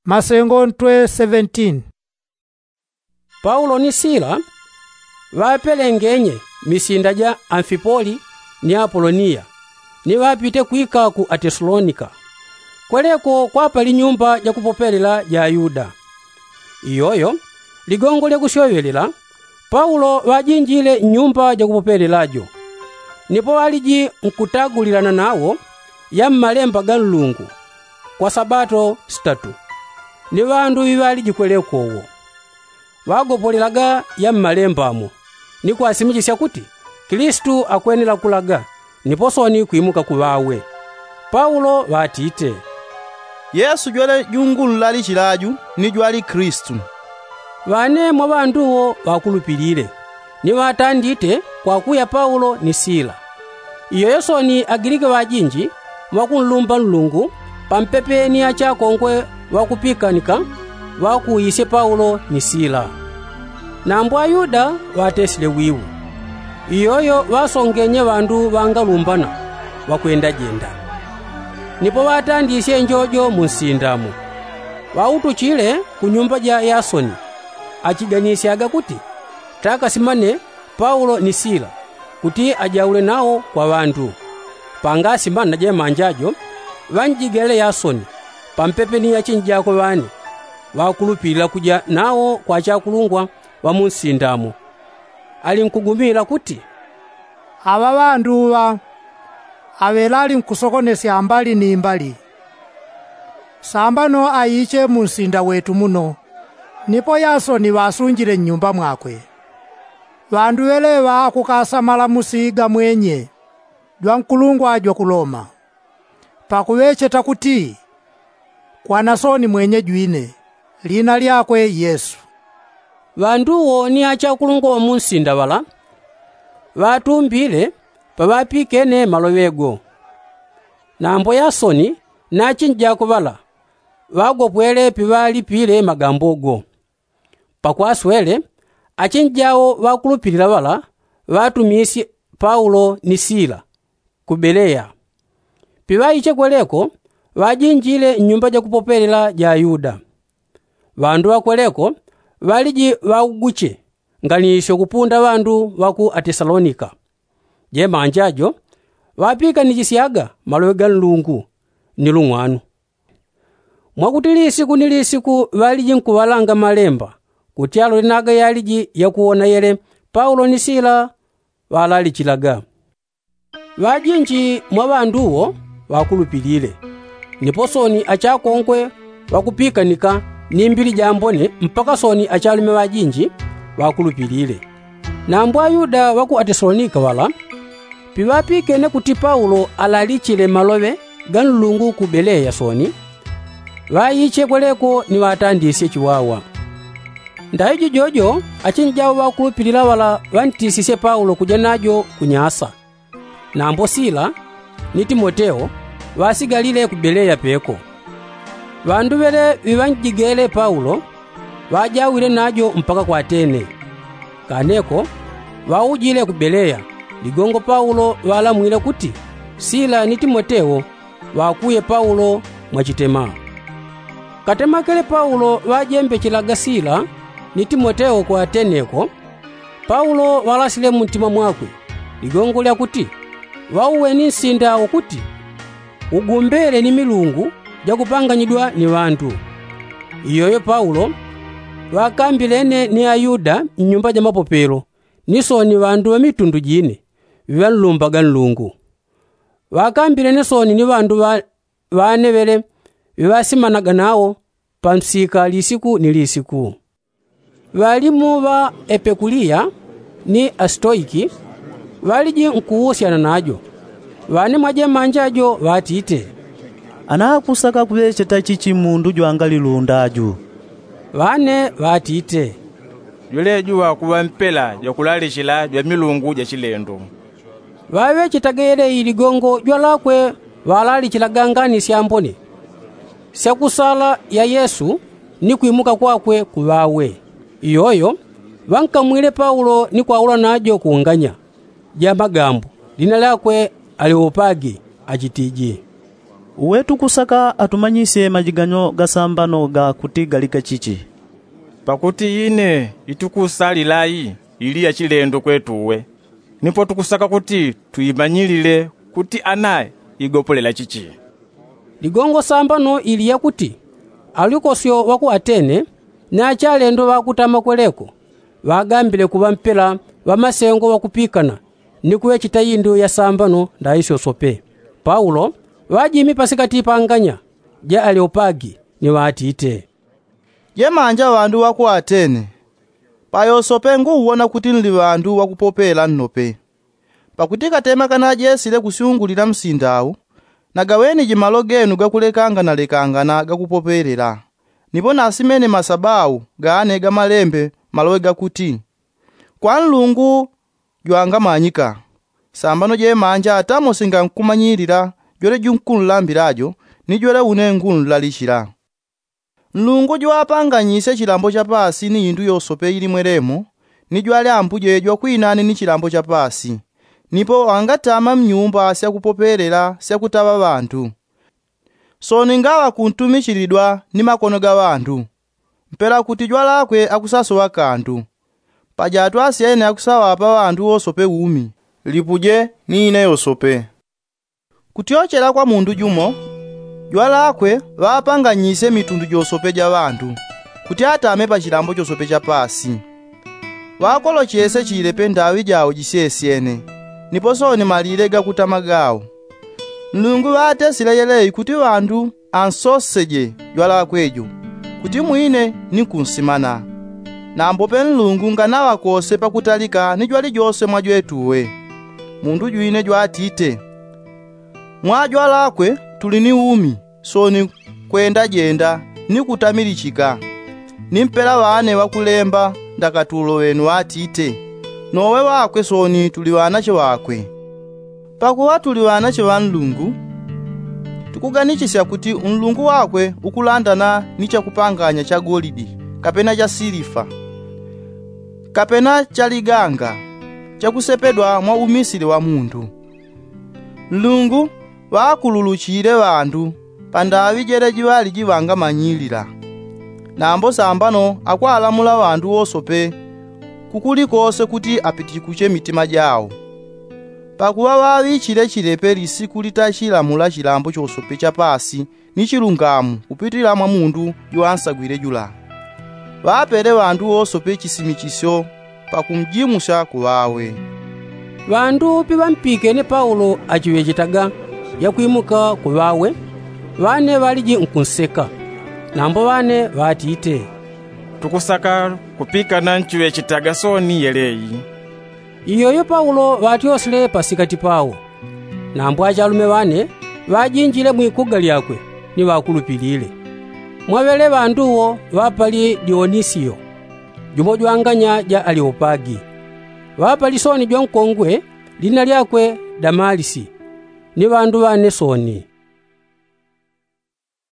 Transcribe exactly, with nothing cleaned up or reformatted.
Masengo ntwe seventeen. Paulo ni sila ŵapelengenye misinda ja amfipoli ni apoloniya, ni ŵapite kwika ku atesalonika. Kweleko kwapali nyumba jakupopelela ja ayuda. Iyoyo ligongo lya kusyoŵelela paulo ŵajinjile nnyumba jakupopelela jo. Nipo ŵaliji nkutagulilana nawo ya mmalemba ga nlungu kwa sabato sitatu. Ni ŵandu ŵiŵaliji kweleko wo ŵagopolelaga ya mmalemba mo ni kwasimichisya kuti kilisitu akwenela kulaga nipo soni kwimuka ku ŵawe. Paulo ŵatite, yesu jwele jungunlalichila aju ni jwali kilisitu. Ŵane mwa ŵandu wo ŵakulupilile ni ŵatandite kwakuya paulo ni sila. Iyoyo soni agiliki ŵajinji ŵakunlumba nlungu pampepe ni achakongwe ŵakupikanika ŵakuuyisye paulo ni sila. Nambo ayuda ŵatesile wiwu. Iyoyo ŵasongenye ŵandu ŵangalumbana ŵakwendajenda. Nipo ŵatandisye njojo mu nsinda mo ŵautuchile ku nyumba ja yasoni achiganisyaga kuti takasimane paulo ni sila kuti ajaule nawo kwa ŵandu. Pangasimana jemanja jo ŵanjigele yasoni pampepe ni achinjako ŵane ŵakulupilila kuja nawo kwa achakulungwa ŵa mu nsinda mo. Alinkugumila kuti, aŵa ŵandu ŵa aŵelali nkusokonesya mbali ni mbali. Sambano aiche mu nsinda wetu muno nipo yasoni ŵasunjile nnyumba mwakwe. Ŵandu ŵeleŵa akukasamala musiga mwenye jwa nkulungwa jwa ku loma pakuŵecheta kuti kwana soni mwenye jwine lina lyakwe yesu. Ŵandu wo ni achakulungwa ŵa mu nsinda ŵala ŵatumbile paŵapikene maloŵe go. Nambo yasoni na achinjako ŵala ŵagopwele piŵalipile magambo go. Pakwaswele achinjao ŵakulupilila ŵala ŵatumisye paulo ni sila ku beleya. Piŵaiche kweleko ŵajinjile nnyumba jakupopelela ja ayuda. Ŵandu ŵakweleko ŵaliji ŵauguche nganisyo kupunda ŵandu ŵa ku atesalonika. Jemanja jo ŵapikanichisyaga maloŵe ga nlungu ni lung'wanu. Mwakuti lisiku ni lisiku ŵaliji nkuŵalanga malemba kuti alole naga yaliji yakuwona yele paulo ni sila ŵalalichilaga. Ŵajinji mwa ŵandu wo ŵakulupilile nipo soni achakongwe ŵakupikanika ni mbili jambone mpaka soni achalume ŵajinji ŵakulupilile. Nambo ayuda ŵa ku atesalonika ŵala piŵapikene kuti paulo alalichile maloŵe ga nlungu ku beleya soni ŵaiche kweleko ni ŵatandisye chiwawa. Ndayo jijojo achinjao ŵakulupilila ŵala ŵantisisye paulo kuja najo ku nyasa. Nambo sila ni timoteo ŵasigalile ku beleya peko. Ŵandu ŵele ŵiŵanjigele paulo ŵajawile najo mpaka ku atene. Kaneko ŵaujile ku beleya ligongo paulo ŵalamwile kuti sila ni timoteo ŵakuye paulo mwachitema. Katemakele paulo ŵajembechelaga sila ni timoteo ku atene ko paulo ŵalasile muntima mwakwe ligongo lyakuti ŵauweni nsinda ukuti ugumbele ni milungu jakupanganyidwa ni ŵandu. Iyoyo paulo ŵakambilene ni ayuda nnyumba ja mapopelo ni soni ŵandu ŵa mitundu jine ŵiŵanlumbaga nlungu. Ŵakambilene soni ni ŵandu ŵane ŵele ŵiŵasimanaga nawo pa msika lisiku ni lisiku. Ŵalimu ŵa epekuliya ni asitoiki ŵaliji nkuwusyana najo. Ŵane mwa jemanja jo ŵatite, anakusaka kuŵecheta chichi mundu jwangalilunda aju? Ŵane ŵatite, jweleju ŵakuŵa mpela jwakulalichila jwa milungu ja chilendo. Ŵaŵechetaga yeleyi ligongo jwalakwe ŵalalichilaga ngani syambone syakusala ya yesu ni kwimuka kwakwe ku ŵawe. Iyoyo ŵankamwile paulo ni kwaula najo ku nganya ja magambo lina lyakwe aleopagi achitiji, Uwe tukusaka atumanyisye majiganyo gasambano gakuti gali gachichi? Pakuti ine itukusalila i ili ya chilendo kwetu uwe, nipo tukusaka kuti tuimanyilile kuti ana igopolela chichi. Ligongo sambano ili yakuti alyukosyo wa ku atene ni achalendo ŵakutama kweleko ŵagambile kuŵa mpela ŵamasengo ŵakupikana ni kuŵechita indu ya sambano ndaisyo sope. Paulo ŵajimi pasikati pa nganya ja aleopagi ni ŵatite, jemanja ŵandu ŵa ku atene, payosope nguuwona kuti nli ŵandu ŵakupopela nnope. Pakuti katema kanajesile kusyungulila msinda au, nagaŵeniji malo genu gakulekanganalekangana gakupopelela. Nipo nasimene masabau gane ga malembe maloŵe gakuti, kwa nlungu jwangamanyika. Sambano jemanja atamo singankumanyilila jwele junkunlambila jo ni jwele une ngunlalichila. Nlungu jwapanganyisye chilambo cha paasi ni indu yosope ili mwelemo, ni jwali ambuje jwakwinane ni chilambo cha paasi. Nipo ŵangatama mnyumba syakupopelela syakutaŵa ŵandu, sooni ngaŵa kuntumichilidwa ni makono ga ŵandu, mpela kuti jwalakwe akusasoŵa kandu. Paja atwasyene akusaŵapa ŵandu wosope umi, lipuje ni ine yosope. Kutyochela kwa mundu jumo, jwalakwe ŵapanganyisye mitundu josope ja ŵandu, kuti atame pa chilambo chosope cha paasi. Ŵakolochesye chilepe ndaŵi jao jisyesyene, nipo sooni malile gakutama gao. Nlungu ŵatesile yeleyi kuti ŵandu ansoseje jwalakwe jo, kuti mwine ni kunsimana. Nambope nlungu nganaŵakose pakutalika ni jwalijose mwa jwetuwe. Mundu jwine jwatite, mwa jwalakwe tuli ni umi, sooni kwendajenda ni kutamilichika. Ni mpela ŵane ŵakulemba ndakatulo ŵenu ŵatite, nowe ŵakwe sooni tuli ŵanache ŵakwe. Pakuŵa tuli ŵanache ŵa nlungu, tukuganichisya kuti unlungu wakwe ukulandana ni chakupanganya cha golidi, kapena cha silifa, kapena cha liganga, chakusepedwa mwa umisili wa mundu. Nlungu ŵakululuchile ŵandu pa ndaŵi jele jiŵali jiŵangamanyilila. Nambo sambano akwalamula ŵandu wosope kukulikose kuti apitikuche mitima jao. Pakuŵa ŵaŵichile chilepe lisiku litachilamula chilambo chosope cha paasi ni chilungamu kupitila mwa mundu jwansagwile jula. Ŵapele ŵandu wosope chisimichisyo pakumjimusya kuŵawe. Ŵandu piŵampikene paulo achiŵechetaga yakwimuka kuŵawe, ŵane ŵaliji nkunseka. Nambo ŵane ŵatite, tukusaka kupikana nchiŵechetaga sooni yeleyi. Iyoyo paulo ŵatyosile pasikati pao. Nambo achalume ŵane ŵajinjile mwikuga lyakwe ni ŵakulupilile. Mwaŵele ŵandu wo ŵapali dionisio, jumo jwanganya ja aleopagi. Ŵapali sooni jwankongwe lina lyakwe damalisi, ni ŵandu ŵane sooni.